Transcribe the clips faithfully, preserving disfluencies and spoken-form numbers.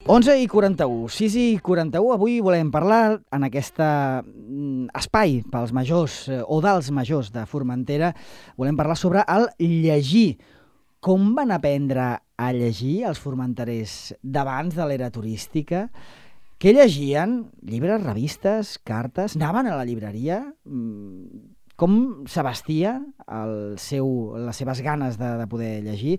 onze i quaranta-u, sis i quaranta-u, avui volem parlar en aquest espai pels majors o dels majors de Formentera, volem parlar sobre el llegir. Com van aprendre a llegir els formenterers d'abans de l'era turística? Què llegien? Llibres, revistes, cartes? Anaven a la llibreria? Com s'abastia el seu, les seves ganes de, de poder llegir?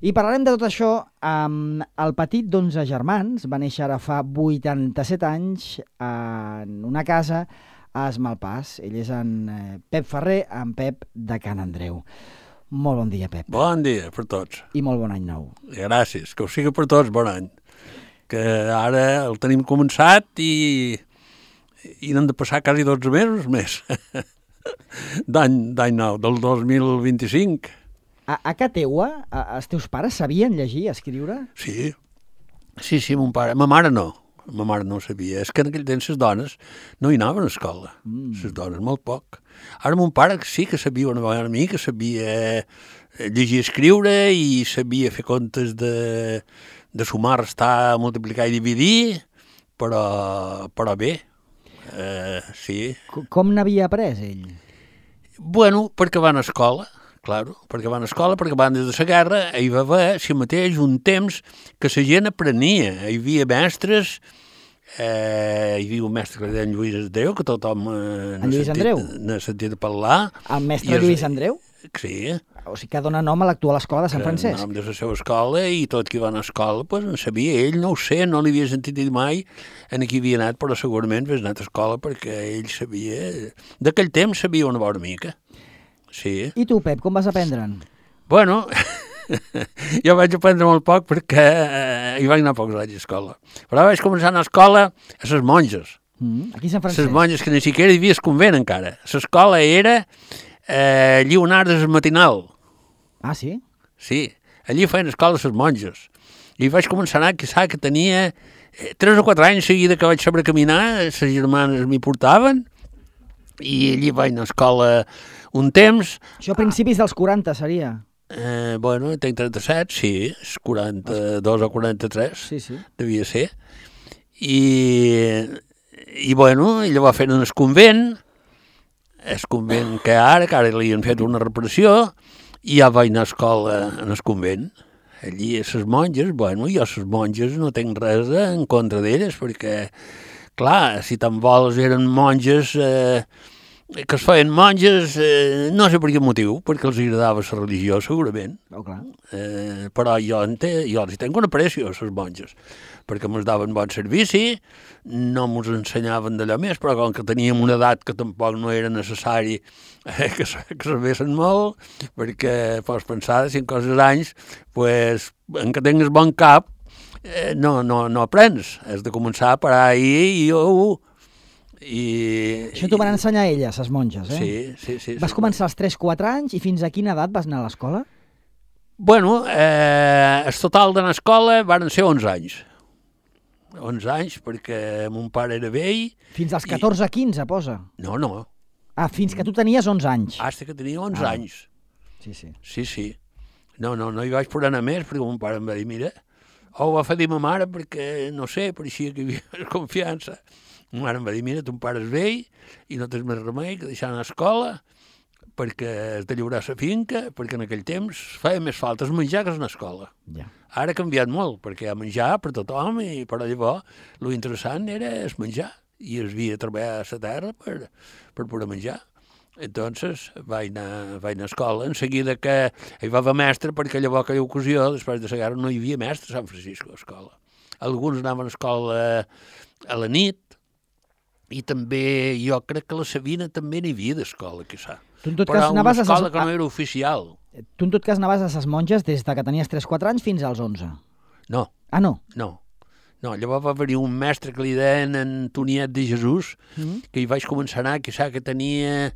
I parlarem de tot això amb el petit d'onze germans. Va néixer ara fa vuitanta-set anys en una casa a Esmalpàs. Ell és en Pep Ferrer, en Pep de Can Andreu. Molt bon dia, Pep. Bon dia per tots. I molt bon any nou. Gràcies, que ho sigui per tots, bon any. Que ara el tenim començat i, i n'han de passar quasi dotze mesos més. D'any nou, del dos mil vint-i-cinc. A, a casa teua, a, els teus pares sabien llegir, escriure? Sí, sí, sí, mon pare. Ma mare no, ma mare no sabia. És que en aquell temps les dones no hi anaven a escola, mm. les dones, molt poc. Ara mon pare sí que sabia una vegada a mi, que sabia llegir i escriure i sabia fer comptes de, de sumar, restar, multiplicar i dividir, però, però bé. Uh, sí. Com n'havia après ell? Bueno, perquè van a escola, claro, perquè van a escola, perquè van des de la guerra, hi va haver, si mateix, un temps que la gent aprenia. Hi havia mestres, eh, hi havia un mestre que li deien Lluís Andreu, que tothom eh, n'ha sentit parlar. El mestre Lluís es... Andreu? Sí. O sigui que dona nom a l'actual escola de Sant Francesc. Nom de la seva escola i tot qui va anar a escola, pues, en sabia. Ell no ho sé, no li havia sentit dir mai en qui havia anat, però segurament hagués anat a escola perquè ell sabia... D'aquell temps sabia una bona mica. Sí. I tu, Pep, com vas aprendre'n? Bueno, jo vaig aprendre molt poc perquè eh, hi vaig anar pocs anys a escola. Però vaig començar a anar a escola a les monges. Mm, aquí a Sant Francesc. Les monges que ni siquiera hi havia convent encara. L'escola era eh, Lleonardes Matinal. Ah, sí? Sí, allí feien escola les monges. I vaig començar a anar, que sap que tenia eh, tres o quatre anys seguida que vaig saber caminar, les germanes m'hi portaven, i allí vaig anar a escola un temps. Això a principis dels quaranta seria? Eh, bueno, tenc trenta-set, sí, és quaranta-dos o quaranta-tres, sí, sí. Devia ser. I, i bueno, ella va fer en el convent, el convent que ara, que ara li han fet una reparació, i ja vaig anar a escola en el convent. Allí a les monges, bueno, jo a les monges no tinc res en contra d'elles, perquè, clar, si tan vols eren monges, eh, que es feien monges, eh, no sé per quin motiu, perquè els agradava la religió, segurament. Oh, clar. Eh, però jo, ente, jo els tenc una aprecio, a les monges, perquè ens daven bon servici, no ens ensenyaven d'allò més, però com que teníem una edat que tampoc no era necessari eh, que, que sabessin molt, perquè pots pensar, si en coses anys, pues, en que tingues bon cap, eh, no, no, no aprens, has de començar per ahí i jo... I, Això t'ho van ensenyar elles, les monges, eh? Sí, sí, sí. Vas sí, començar als tres quatre anys i fins a quina edat vas anar a l'escola? Bueno, eh, el total d'anar a escola van ser onze anys. onze anys, perquè mon pare era vell. Fins als catorze quinze, posa. No, no. Ah, fins que tu tenies onze anys. Hasta que tenia onze ah. anys. Sí, sí. Sí, sí. No, no, no hi vaig poder anar més, perquè mon pare em va dir, mira, o ho va fer dir ma mare, perquè, no sé, pareixia que hi havia confiança. Ma mare em va dir, mira, ton pare és vell i no tens més remei que deixar anar a escola perquè has de lliurar la finca, perquè en aquell temps feia més falta menjar que anar a escola. Ja. Ara ha canviat molt, perquè hi ha menjar per tothom, i però llavors lo interessant era el menjar, i es havia de treballar a la terra per, per poder menjar. Entonces vaig anar, vaig anar a escola, en seguida que hi va haver mestre, perquè llavors aquella ocasió, després de la guerra, no hi havia mestre a Sant Francisco a escola. Alguns anaven a escola a la nit, i també, jo crec que a la Sabina també n'hi havia d'escola, quizà. Tu en tot però cas una anaves escola a... que no era oficial. Tu en tot cas anaves a ses monges des de que tenies tres quatre anys fins als onze? No. Ah, no? No. No, llavors va haver-hi un mestre que li deien Antoniet de Jesús, mm-hmm. que hi vaig començar a anar, que sap que tenia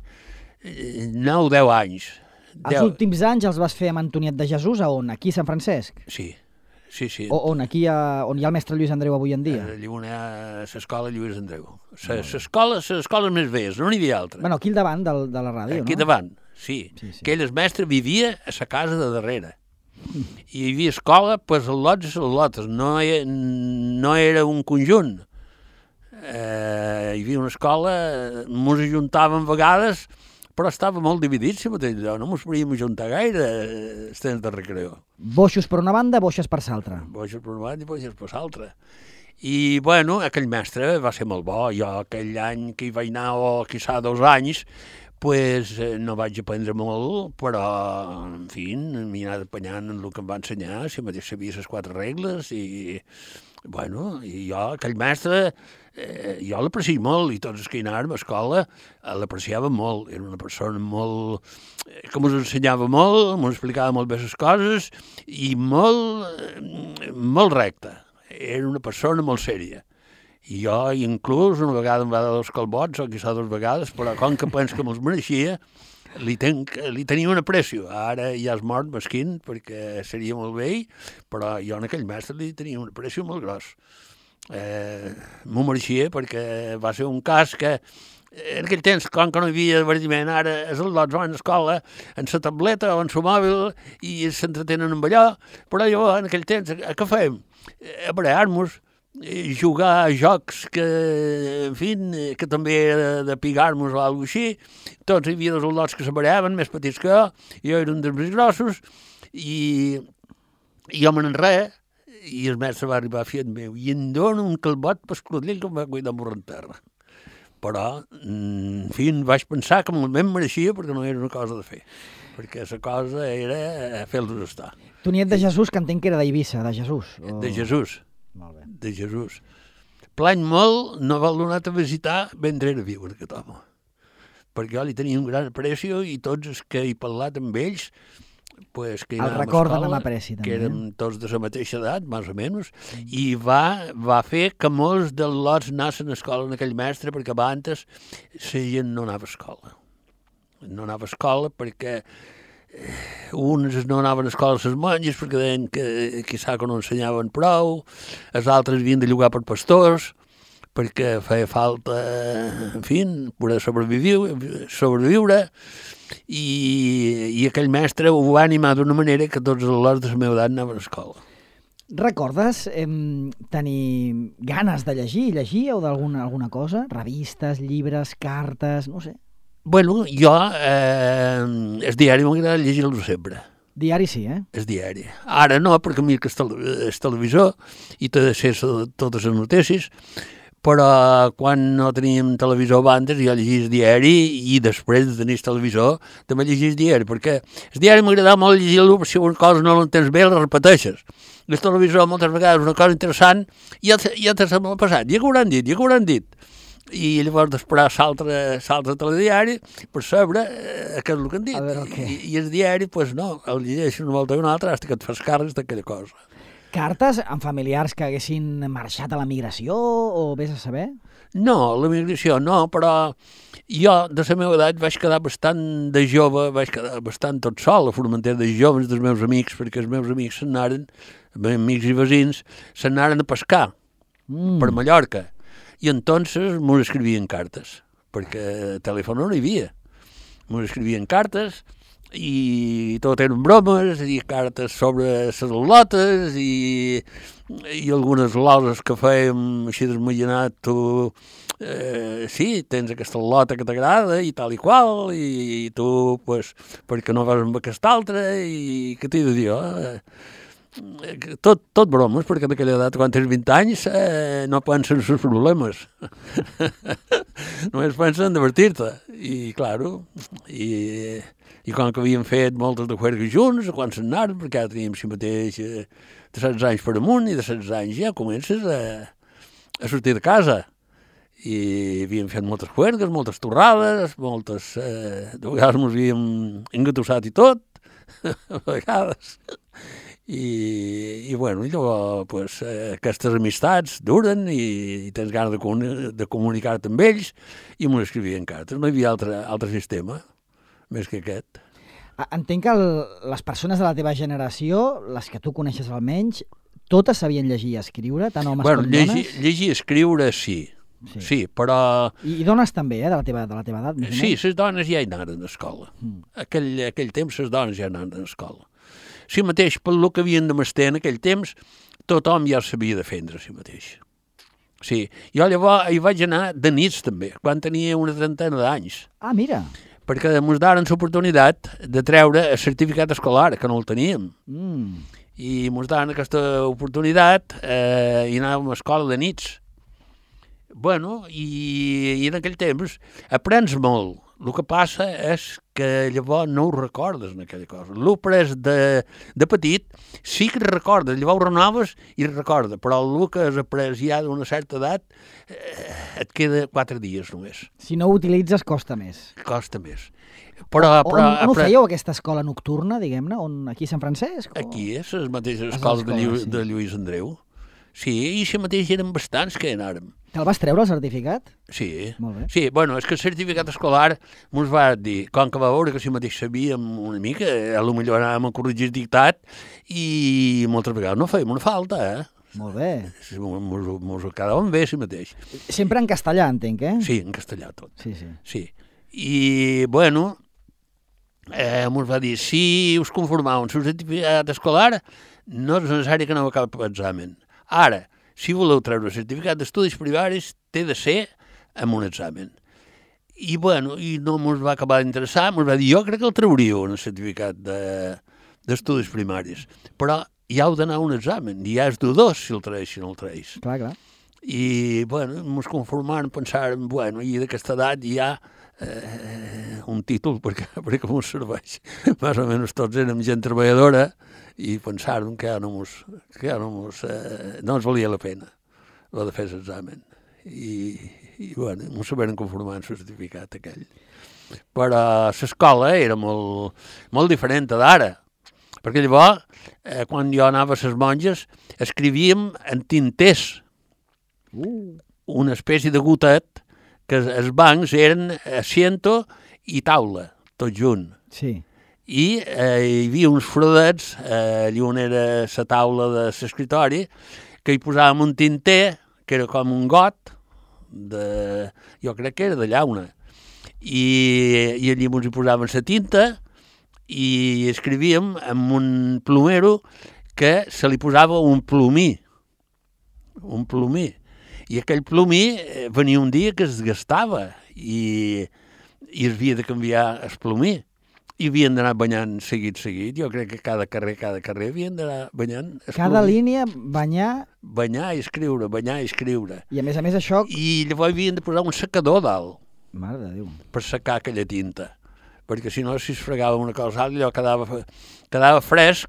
nou o deu anys. Els deu... últims anys els vas fer amb Antoniet de Jesús, a on? Aquí a Sant Francesc? Sí. Sí, sí. O on, aquí a, on hi ha el mestre Lluís Andreu avui en dia? A l'escola Lluís Andreu. L'escola, les escoles més velles, no n'hi havia altra. Bueno, aquí al davant del, de la ràdio, aquí no? Aquí davant, sí. sí, sí. Que ell, el mestre, vivia a la casa de darrere. I hi havia escola, doncs, els lots i les lotes. No, no era un conjunt. Eh, hi havia una escola, ens ajuntàvem a vegades, però estava molt dividit, si mateix allò. No ens podíem ajuntar gaire els temps de recreo. Boixos per una banda, boixes per l'altra. Boixos per una banda i boixes per l'altra. I, bueno, aquell mestre va ser molt bo. Jo aquell any que hi vaig anar, o quizà dos anys, pues, no vaig aprendre molt, però, en fi, m'hi he anat apanyant en el que em va ensenyar, si mateix sabia les quatre regles, i, bueno, i jo, aquell mestre, eh, jo l'aprecio molt, i tots els que hi anàvem a l'escola l'apreciava molt. Era una persona molt, que ens ensenyava molt, ens explicava molt bé les coses, i molt, molt recta. Era una persona molt sèria. I jo, inclús, una vegada em va dar dos calbots, o quizà dues vegades, però com que penso que me'ls mereixia, li, ten, li tenia un aprecio. Ara ja és mort, mesquin, perquè seria molt vell, però jo en aquell mestre li tenia un aprecio molt gros. Eh, m'ho mereixia perquè va ser un cas que en aquell temps, com que no hi havia divertiment, ara els lots van a l'escola en la tableta o en el mòbil i s'entretenen amb allò, però jo en aquell temps, què fèiem? A barallar-nos, jugar a jocs que, en fi, que també era de pigar-nos o alguna cosa així. Tots hi havia dos lots que se barallaven, més petits que jo, i jo era un dels més grossos, i, i jo me n'enreia, i el mestre va arribar a fiat meu, i em dona un calbot per esclotell que em va cuidar amb en terra. Però, en fi, vaig pensar que me'l mereixia perquè no era una cosa de fer, perquè la cosa era fer-los estar. Tu niet de Jesús, que entenc que era d'Eivissa, de Jesús. O... De Jesús. Molt bé. De Jesús. Plany molt, no vol donar a visitar mentre era viu aquest home, perquè jo li tenia un gran aprecio i tots els que he parlat amb ells, pues, que el recorden amb apreci, també. Que érem tots de la mateixa edat, més o menys, mm. i va, va fer que molts dels lots anessin a escola en aquell mestre, perquè abans la gent no anava a escola. No anava a escola perquè uns no anaven a escola a les monges perquè deien que quizà que no ensenyaven prou, els altres havien de llogar per pastors, perquè feia falta, en fi, poder sobreviure, sobreviure i, i aquell mestre ho va animar d'una manera que tots els lots de la meva edat anaven a escola. Recordes eh, tenir ganes de llegir, llegir o d'alguna alguna cosa? Revistes, llibres, cartes, no sé. Bueno, jo, eh, el diari m'agrada llegir-lo sempre. Diari sí, eh? El diari. Ara no, perquè mira que és el televisor i t'ha de ser totes les notícies, però quan no teníem televisor abans jo llegia el diari i després de tenir el televisor també llegia el diari, perquè el diari m'agradava molt llegir-lo, però si una cosa no l'entens bé la repeteixes. El televisor moltes vegades una cosa interessant i ja, ja te sembla passat, ja que ho hauran dit, ja que ho hauran dit. I llavors d'esperar l'altre telediari per saber eh, què és el que han dit. Veure, okay. I, I el diari, doncs pues no, el llegeixo una volta i una altra fins que et fas càrrecs d'aquella cosa. Cartes amb familiars que haguessin marxat a la migració o vés a saber? No, la migració no, però jo de la meva edat vaig quedar bastant de jove, vaig quedar bastant tot sol a Formentera, de joves dels meus amics, perquè els meus amics s'anaren, amics i veïns, s'anaren a pescar mm. per Mallorca. I entonces m'ho escrivien cartes, perquè telèfon no hi havia. M'ho escrivien cartes i tot eren bromes i cartes sobre les lotes i, i algunes loses que fèiem així desmallenat, tu eh, sí, tens aquesta lota que t'agrada i tal i qual, i, i tu, pues, perquè no vas amb aquesta altra, i què t'he de dir, eh? Tot, tot bromes, perquè en aquella edat, quan tens vint anys, eh, no pensen en els problemes. Només pensen en divertir-te. I, claro, i, i com que havíem fet moltes de juergues junts, quan s'anaren, perquè ja teníem si mateix eh, de setze anys per amunt, i de setze anys ja comences a, a sortir de casa. I havíem fet moltes juergues, moltes torrades, moltes... Eh, de vegades ens havíem engatussat i tot, a vegades... I, i bueno, i llavors pues, eh, aquestes amistats duren i, i tens ganes de, comuni de comunicar-te amb ells i m'ho escrivien cartes. No hi havia altre, altre sistema més que aquest. Entenc que el, les persones de la teva generació, les que tu coneixes almenys, totes sabien llegir i escriure, tant homes bueno, com llegir, dones? Llegir i escriure sí, sí, sí però... I, I dones també, eh, de la teva, de la teva edat? Sí, les dones ja hi anaven a l'escola. Mm. Aquell, aquell temps les dones ja anaven a l'escola. si mateix, pel que havien de mestre en aquell temps, tothom ja sabia defendre si mateix. Sí, jo llavors hi vaig anar de nits també, quan tenia una trentena d'anys. Ah, mira. Perquè ens daren l'oportunitat de treure el certificat escolar, que no el teníem. Mm. I ens daren aquesta oportunitat eh, i anàvem a escola de nits. Bueno, i, i en aquell temps aprens molt. El que passa és que llavors no ho recordes en aquella cosa. L'ho pres de, de petit, sí que recordes, llavors ho renoves i recorda, però el que has après ja d'una certa edat eh, et queda quatre dies només. Si no ho utilitzes, costa més. Costa més. Però, però, on, on ho però, fèieu, aquesta escola nocturna, diguem-ne? On, aquí a Sant Francesc? O... Aquí és les mateixes Les escoles de, escoles, Llu sí. de Lluís Andreu. Sí, i si mateix eren bastants que hi anàrem. Te'l vas treure, el certificat? Sí. Molt bé. Sí, bueno, és que el certificat escolar ens va dir, com que va veure que si mateix sabíem una mica, a lo millor anàvem a corregir dictat i moltes vegades no fèiem una falta, eh? Molt bé. Ens ho quedàvem bé si mateix. Sempre en castellà, entenc, eh? Sí, en castellà tot. Sí, sí. Sí. I, bueno, eh, ens va dir, si us conformau amb el certificat escolar, no és necessari que aneu a cap examen. Ara, si voleu treure el certificat d'estudis primaris, té de ser amb un examen. I, bueno, i no ens va acabar d'interessar, ens va dir, jo crec que el trauríeu en el certificat d'estudis de, primaris, però ja heu d'anar a un examen, i ja és dudós si el traeix, si no el traeix. Clar, clar. I, bueno, ens conformàrem, pensàrem, bueno, i d'aquesta edat ja eh, un títol, perquè, perquè ens serveix. Més o menys tots érem gent treballadora, i pensàrem que ja no mos, que ja no mos, eh, no ens valia la pena la de fer l'examen. I, i bueno, ens saberen conformar en el certificat aquell. Però l'escola era molt, molt diferent d'ara, perquè llavors, eh, quan jo anava a les monges, escrivíem en tinters, Uh. una espècie de gotet, que els bancs eren asiento i taula, tot junt. Sí. I eh, hi havia uns frodets, eh, allà on era la taula de l'escritori, que hi posàvem un tinter, que era com un got, de, jo crec que era de llauna, i, i allà ens hi posàvem la tinta i escrivíem amb un plomero que se li posava un plomí, un plomí, i aquell plomí venia un dia que es gastava i, i es havia de canviar el plomí. I havien d'anar banyant seguit, seguit. Jo crec que cada carrer, cada carrer havien d'anar banyant. Cada línia, banyar... Banyar i escriure, banyar i escriure. I a més a més això... I llavors havien de posar un secador dalt. Mare de Déu. Per secar aquella tinta. Perquè si no, si es fregava una cosa altra, allò quedava, quedava fresc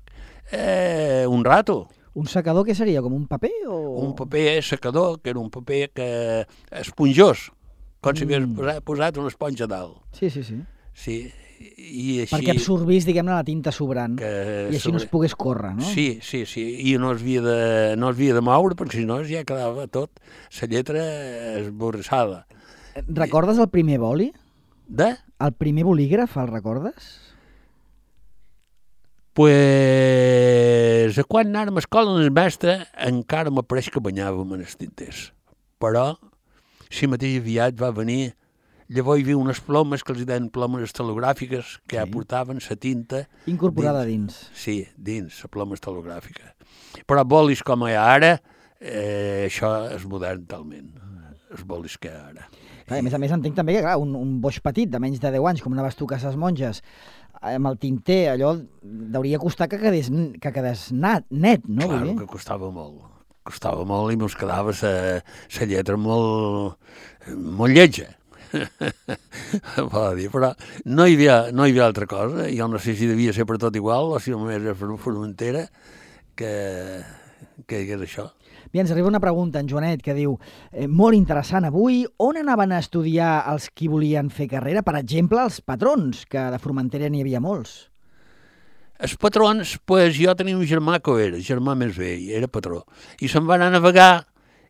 eh, un rato. Un secador què seria? Com un paper o...? Un paper secador, que era un paper que esponjós, com si hagués Mm. posat, posat una esponja dalt. Sí, sí, sí. Sí, i així... Perquè absorbís, diguem-ne, la tinta sobrant que i així no es pogués córrer, no? Sí, sí, sí, i no es havia de, no es havia de moure, perquè si no ja quedava tot, la lletra esborrassada. Recordes el primer boli? De? El primer bolígraf, el recordes? Pues, quan anàrem a escola, el mestre encara m'apareix que banyàvem en els tinters. Però, si mateix aviat va venir, llavors hi havia unes plomes que els deien plomes estilogràfiques que sí. ja portaven la tinta... Incorporada dins. dins. Sí, dins, la ploma estilogràfica. Però bolis com hi ha ara, eh, això és modern talment, els bolis que hi ha ara. Clar, a més a més entenc també que clar, un, un boix petit de menys de deu anys, com anaves tu a ses monges, amb el tinter, allò hauria costar que quedés, que quedés nat, net, no? Claro que costava molt. Costava molt i ens quedava la lletra molt, molt lletja. dir, però no hi, havia, no hi havia altra cosa. Jo no sé si devia ser per tot igual o si només era per Formentera que, que hi hagués això. Bé, ens arriba una pregunta, en Joanet, que diu eh, molt interessant avui, on anaven a estudiar els qui volien fer carrera? Per exemple, els patrons, que de Formentera n'hi havia molts. Els patrons, pues, jo tenia un germà que era, germà més vell, era patró, i se'n va anar a navegar,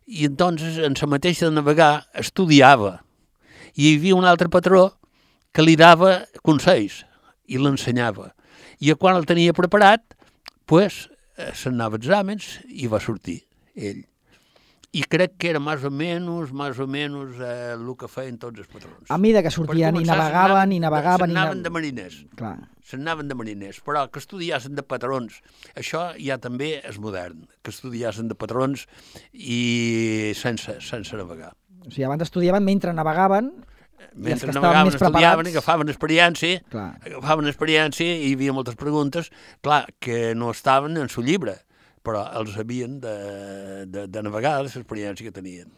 i entonces, en la mateixa de navegar, estudiava. I hi havia un altre patró que li dava consells i l'ensenyava. I quan el tenia preparat, pues, se'n anava a exàmens i va sortir ell. i crec que era més o menys, més o menys eh, el que feien tots els patrons. A mesura que sortien i navegaven, i navegaven... S'anaven de mariners. Clar. S'anaven de mariners, però que estudiassin de patrons, això ja també és modern, que estudiassin de patrons i sense, sense navegar. O sigui, abans estudiaven mentre navegaven, mentre i navegaven, estudiaven, preparats... agafaven experiència, clar. agafaven experiència i hi havia moltes preguntes, clar, que no estaven en el llibre, però els havien de, de, de navegar l'experiència que tenien.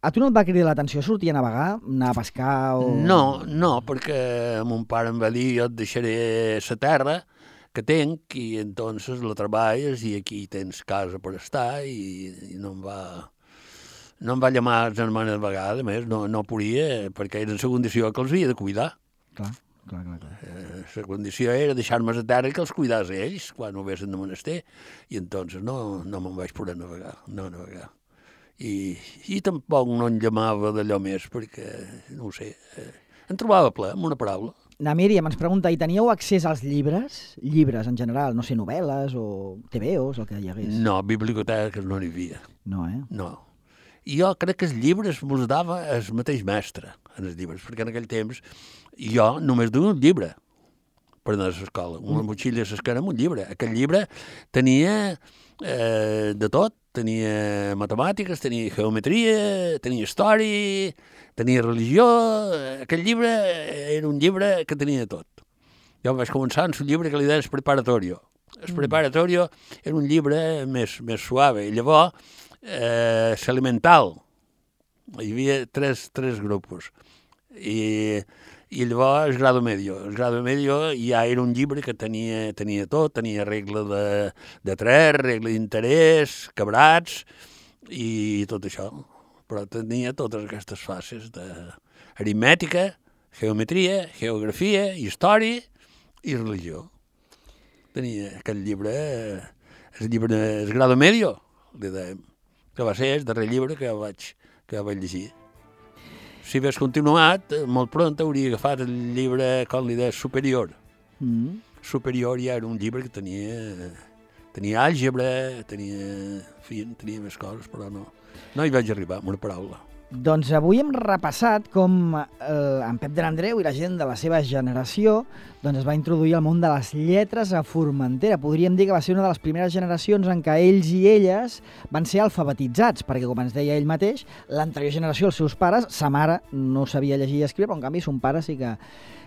A tu no et va cridar l'atenció sortir a navegar, anar a pescar o... No, no, perquè mon pare em va dir jo et deixaré la terra que tenc i entonces la treballes i aquí tens casa per estar i, i no em va... No em va llamar els germans de vegada, a més, no, no podia, perquè era en la condició que els havia de cuidar. Clar, clar, clar. clar. Eh, la condició era deixar-me a terra i que els cuidàs ells quan ho vessin de menester, i entonces no, no me'n vaig poder navegar, no navegar. I, i tampoc no em llamava d'allò més, perquè, no ho sé, eh, em trobava ple, amb una paraula. Na Míriam ens pregunta, i teníeu accés als llibres? Llibres en general, no sé, novel·les o te ve os, el que hi hagués? No, biblioteques no n'hi havia. No, eh? No. I jo crec que els llibres me'ls dava el mateix mestre, en els llibres, perquè en aquell temps jo només duia un llibre per anar a l'escola, una motxilla a l'esquena amb un llibre. Aquell llibre tenia eh, de tot, tenia matemàtiques, tenia geometria, tenia història, tenia religió. Aquell llibre era un llibre que tenia tot. Jo vaig començar amb un llibre que li deia el preparatorio. El preparatorio era un llibre més, més suave, i llavors eh, l'elemental. Hi havia tres, tres grups. I, i llavors el grado medio. El grado medio ja era un llibre que tenia, tenia tot, tenia regla de, de tres, regla d'interès, quebrats i tot això. Però tenia totes aquestes fases d'aritmètica, geometria, geografia, història i religió. Tenia aquell llibre, el llibre, el grado medio, li dèiem, que va ser el darrer llibre que jo vaig, que jo vaig llegir. Si hagués continuat, molt pront hauria agafat el llibre, com li deia, superior. Mm. Superior ja era un llibre que tenia, tenia àlgebra, tenia, en fi, tenia més coses, però no. No hi vaig arribar, amb una paraula. Doncs avui hem repassat com eh, en Pep de l'Andreu i la gent de la seva generació doncs es va introduir al món de les lletres a Formentera. Podríem dir que va ser una de les primeres generacions en què ells i elles van ser alfabetitzats, perquè, com ens deia ell mateix, l'anterior generació, els seus pares, sa mare no sabia llegir i escriure, però en canvi son pare sí que,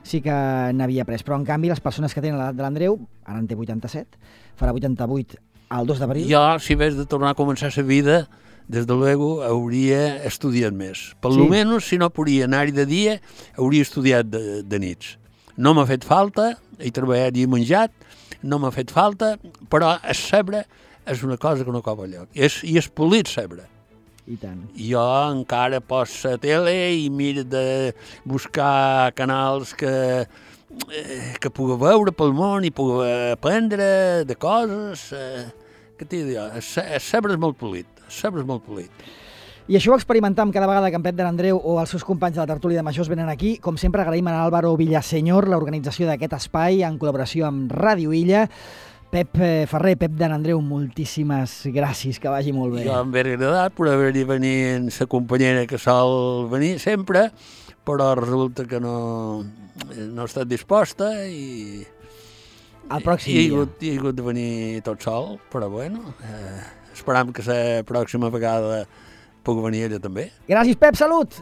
sí que n'havia après. Però en canvi les persones que tenen l'edat de l'Andreu, ara en té vuitanta-set, farà vuitanta-vuit el dos d'abril. Jo, si hagués de tornar a començar la vida, des de luego hauria estudiat més. Per sí. Lo menos, si no podia anar-hi de dia, hauria estudiat de, de nits. No m'ha fet falta, he treballat i he menjat, no m'ha fet falta, però el saber és una cosa que no cova lloc. I és, i és polit saber. I tant. Jo encara pos la tele i miro de buscar canals que, que pugui veure pel món i pugui aprendre de coses. Què t'he dit jo? El saber és molt polit. Saber és molt polit. I això ho experimentam cada vegada que en Pep de l'Andreu o els seus companys de la tertúlia de majors venen aquí. Com sempre, agraïm a Álvaro Villaseñor l'organització d'aquest espai en col·laboració amb Ràdio Illa. Pep Ferrer, Pep de l'Andreu, moltíssimes gràcies, que vagi molt bé. Jo em ve agradat per haver-hi venir amb la companyera que sol venir sempre, però resulta que no, no ha estat disposta i... El pròxim I, dia. He hagut, he hagut de venir tot sol, però bueno... Eh... Esperam que la pròxima vegada puc venir ella també. Gràcies, Pep, salut!